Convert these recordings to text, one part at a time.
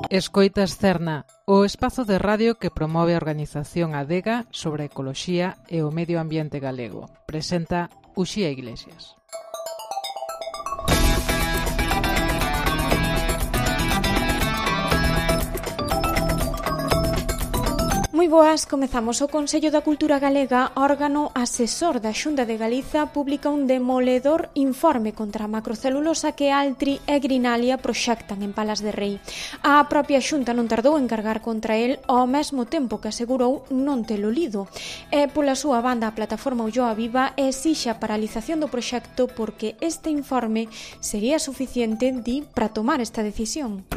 Escoitas Cerna, o espazo de radio que promove a organización Adega sobre a ecoloxía e o medio ambiente galego. Presenta Uxía Iglesias. Moi boas, comezamos. O Consello da Cultura Galega, órgano asesor da Xunta de Galiza, publica un demoledor informe contra a macrocelulosa que Altri e Grinalia proxectan en Palas de Rei. A propia Xunta non tardou en cargar contra el ao mesmo tempo que asegurou non telo lido. E pola súa banda, a plataforma Ulloa Viva exixe a paralización do proxecto porque este informe sería suficiente, di, para tomar esta decisión.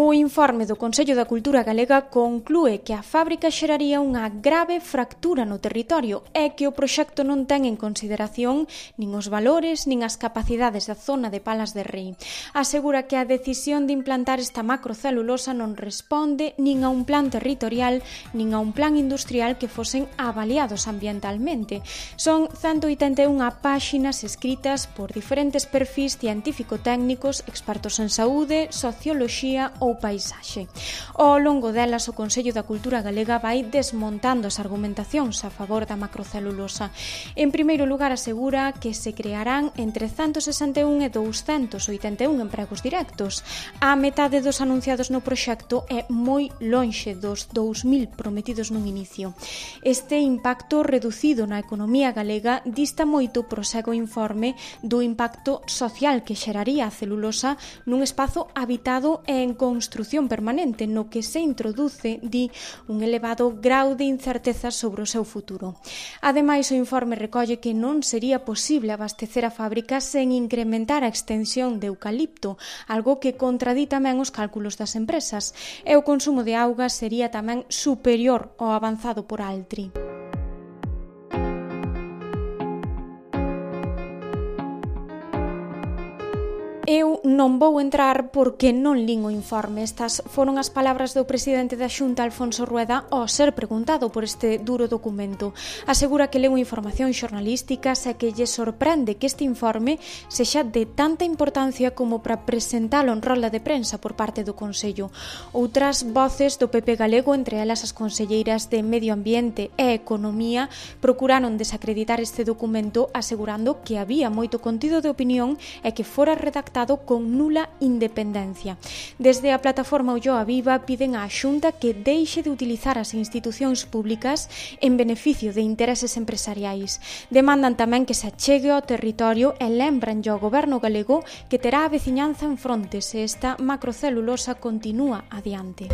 O informe do Consello da Cultura Galega conclúe que a fábrica xeraría unha grave fractura no territorio e que o proxecto non ten en consideración nin os valores nin as capacidades da zona de Palas de Rei. Asegura que a decisión de implantar esta macrocelulosa non responde nin a un plan territorial nin a un plan industrial que fosen avaliados ambientalmente. Son 181 páxinas escritas por diferentes perfís científico-técnicos, expertos en saúde, socioloxía ou paisaxe. Ao longo delas, o Consello da Cultura Galega vai desmontando as argumentacións a favor da macrocelulosa. En primeiro lugar, asegura que se crearán entre 161 e 281 empregos directos. A metade dos anunciados no proxecto é moi lonxe dos 2.000 prometidos nun inicio. Este impacto reducido na economía galega dista moito, prosegue o informe, do impacto social que xeraría a celulosa nun espazo habitado e en construción permanente no que se introduce, di, un elevado grau de incerteza sobre o seu futuro. Ademais, o informe recolle que non sería posible abastecer a fábrica sen incrementar a extensión de eucalipto, algo que contradí tamén os cálculos das empresas, e o consumo de auga sería tamén superior ao avanzado por Altri. Eu non vou entrar porque non lin o informe. Estas foron as palabras do presidente da Xunta, Alfonso Rueda, ao ser preguntado por este duro documento. Asegura que leu información xornalística e que lle sorprende que este informe sexa de tanta importancia como para presentalo en rolda de prensa por parte do Consello. Outras voces do PP galego, entre elas as conselleiras de Medio Ambiente e Economía, procuraron desacreditar este documento asegurando que había moito contido de opinión e que fora redactado con nula independencia. Desde a plataforma Ulloa Viva piden á Xunta que deixe de utilizar as institucións públicas en beneficio de intereses empresariais. Demandan tamén que se achegue ao territorio e lembran ao goberno galego que terá a veciñanza en fronte se esta macrocelulosa continúa adiante.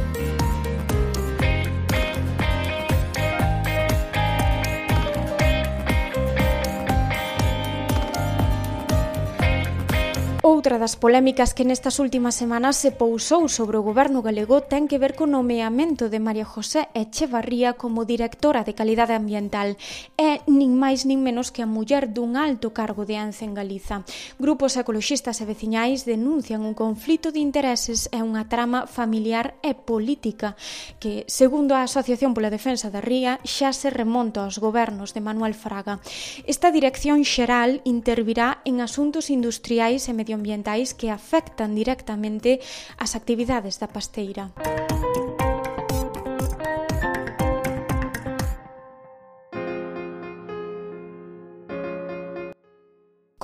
Outra das polémicas que nestas últimas semanas se pousou sobre o goberno galego ten que ver co nomeamento de María José Echevarría como directora de Calidade Ambiental. É nin máis nin menos que a muller dun alto cargo de Ence en Galiza. Grupos ecoloxistas e veciñais denuncian un conflito de intereses e unha trama familiar e política que, segundo a Asociación pola Defensa da Ría, xa se remonta aos gobernos de Manuel Fraga. Esta dirección xeral intervirá en asuntos industriais e medioambientais que afectan directamente as actividades da pasteira.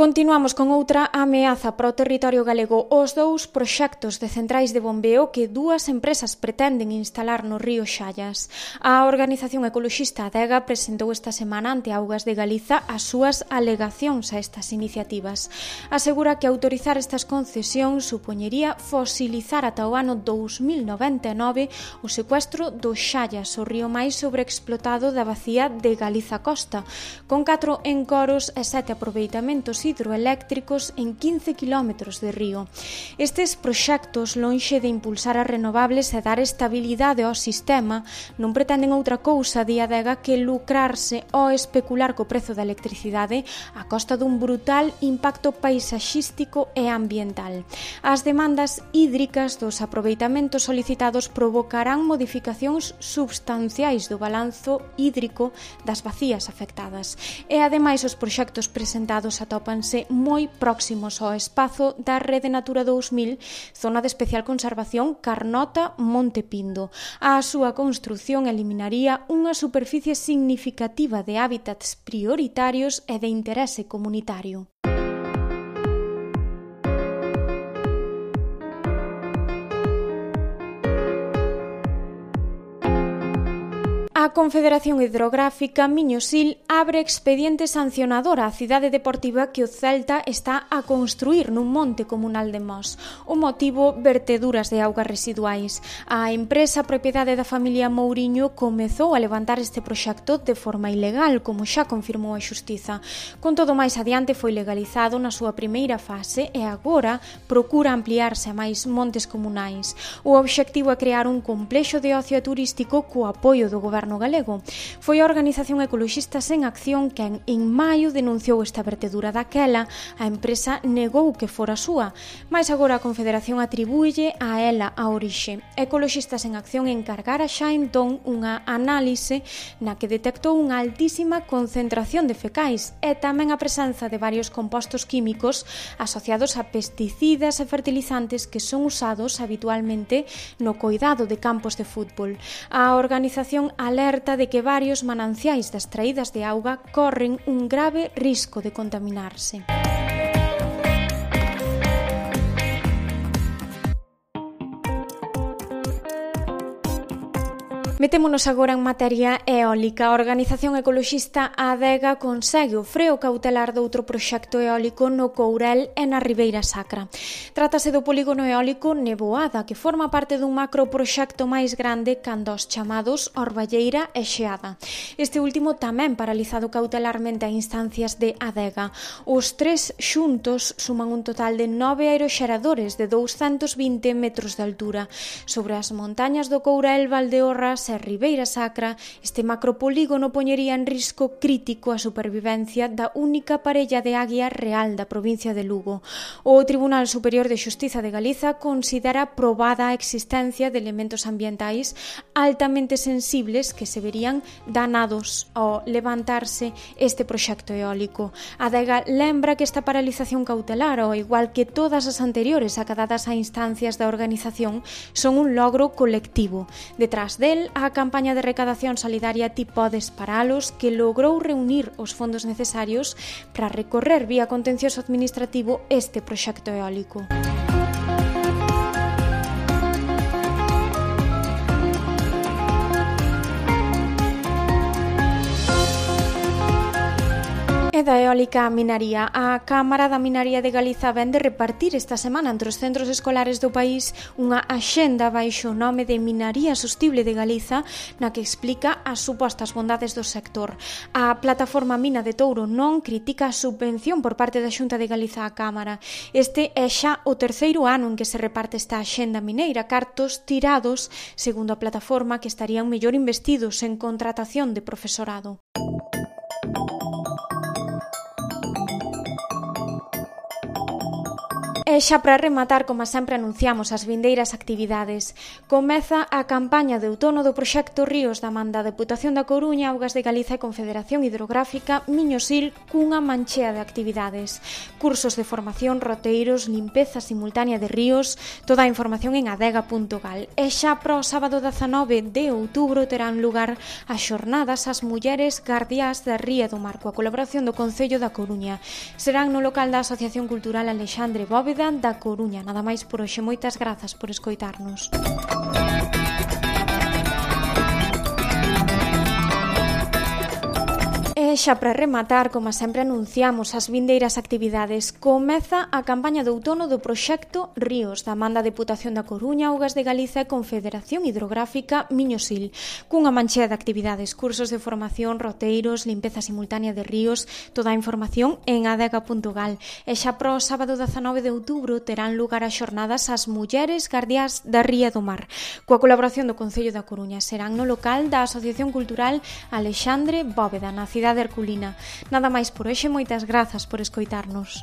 Continuamos con outra ameaza para o territorio galego. Os dous proxectos de centrais de bombeo que dúas empresas pretenden instalar no río Xallas. A organización ecoloxista Adega presentou esta semana ante Augas de Galiza as súas alegacións a estas iniciativas. Asegura que autorizar estas concesións supoñería fosilizar ata o ano 2099 o secuestro do Xallas, o río máis sobreexplotado da bacía de Galiza Costa, con 4 encoros e 7 aproveitamentos hidroeléctricos en 15 km de río. Estes proxectos, lonxe de impulsar as renovables e dar estabilidade ao sistema, non pretenden outra cousa, di Adega, que lucrarse ou especular co prezo da electricidade a costa dun brutal impacto paisaxístico e ambiental. As demandas hídricas dos aproveitamentos solicitados provocarán modificacións substanciais do balanzo hídrico das bacías afectadas. E ademais os proxectos presentados atopan atópanse moi próximos ao espazo da Rede Natura 2000, zona de especial conservación Carnota-Monte Pindo. A súa construción eliminaría unha superficie significativa de hábitats prioritarios e de interese comunitario. A Confederación Hidrográfica Miño-Sil abre expediente sancionador á cidade deportiva que o Celta está a construir nun monte comunal de Mos. O motivo, verteduras de augas residuais. A empresa propiedade da familia Mouriño comezou a levantar este proxecto de forma ilegal, como xa confirmou a Xustiza. Con todo, máis adiante foi legalizado na súa primeira fase e agora procura ampliarse a máis montes comunais. O obxectivo é crear un complexo de ocio turístico co apoio do goberno galego. Foi a Organización Ecoloxistas en Acción quen en maio denunciou esta vertedura. Daquela, a empresa negou que fora súa, mas agora a Confederación atribúelle a ela a orixe. Ecoloxistas en Acción encargara xa entón unha análise na que detectou unha altísima concentración de fecais e tamén a presenza de varios compostos químicos asociados a pesticidas e fertilizantes que son usados habitualmente no coidado de campos de fútbol. A organización alerta de que varios mananciais das traídas de auga corren un grave risco de contaminarse. Metémonos agora en materia eólica. A Organización Ecoloxista Adega consegue o freo cautelar doutro proxecto eólico no Courel e na Ribeira Sacra. Trátase do polígono eólico Neboada, que forma parte dun macroproxecto máis grande cando os chamados Orballeira e Xeada. Este último tamén paralizado cautelarmente a instancias de Adega. Os tres xuntos suman un total de 9 aeroxeradores de 220 metros de altura. Sobre as montañas do Courel, Valdeorras e Ribeira Sacra, este macropolígono poñería en risco crítico a supervivencia da única parella de águia real da provincia de Lugo. O Tribunal Superior de Xustiza de Galiza considera probada a existencia de elementos ambientais altamente sensibles que se verían danados ao levantarse este proxecto eólico. A Adega lembra que esta paralización cautelar, ao igual que todas as anteriores acadadas a instancias da organización, son un logro colectivo. Detrás del, a campaña de recadación solidaria Ti Podes Paralos, que logrou reunir os fondos necesarios para recorrer vía contencioso administrativo este proxecto eólico. E da eólica a minaría. A Cámara da Minaría de Galiza vén de repartir esta semana entre os centros escolares do país unha axenda baixo o nome de Minaría Sostible de Galiza, na que explica as supostas bondades do sector. A plataforma Mina de Touro non critica a subvención por parte da Xunta de Galiza á Cámara. Este é xa o terceiro ano en que se reparte esta axenda mineira, cartos tirados, segundo a plataforma, que estarían mellor investidos en contratación de profesorado. E xa para rematar, como sempre anunciamos as vindeiras actividades. Comeza a campaña de outono do proxecto Ríos da man da Deputación da Coruña, Augas de Galiza e Confederación Hidrográfica Miño-Sil cunha manchea de actividades. Cursos de formación, roteiros, limpeza simultánea de ríos, toda a información en adega.gal. E xa para o sábado 19 de outubro terán lugar as xornadas ás mulleres guardiás da Ría do Mar, coa colaboración do Concello da Coruña. Serán no local da Asociación Cultural Alexandre Bóveda da Coruña. Nada máis por hoxe. Moitas grazas por escoitarnos. E xa para rematar, como sempre anunciamos as vindeiras actividades, comeza a campaña de outono do proxecto Ríos da man da Deputación da Coruña, Augas de Galiza e Confederación Hidrográfica Miño-Sil, cunha manchea de actividades, cursos de formación, roteiros, limpeza simultánea de ríos, toda a información en adega.gal. E xa para o sábado 19 de outubro terán lugar as xornadas ás mulleres guardiás da Ría do Mar, coa colaboración do Concello da Coruña. Serán no local da Asociación Cultural Alexandre Bóveda, na cidade herculina. Nada máis por hoxe, moitas grazas por escoitarnos.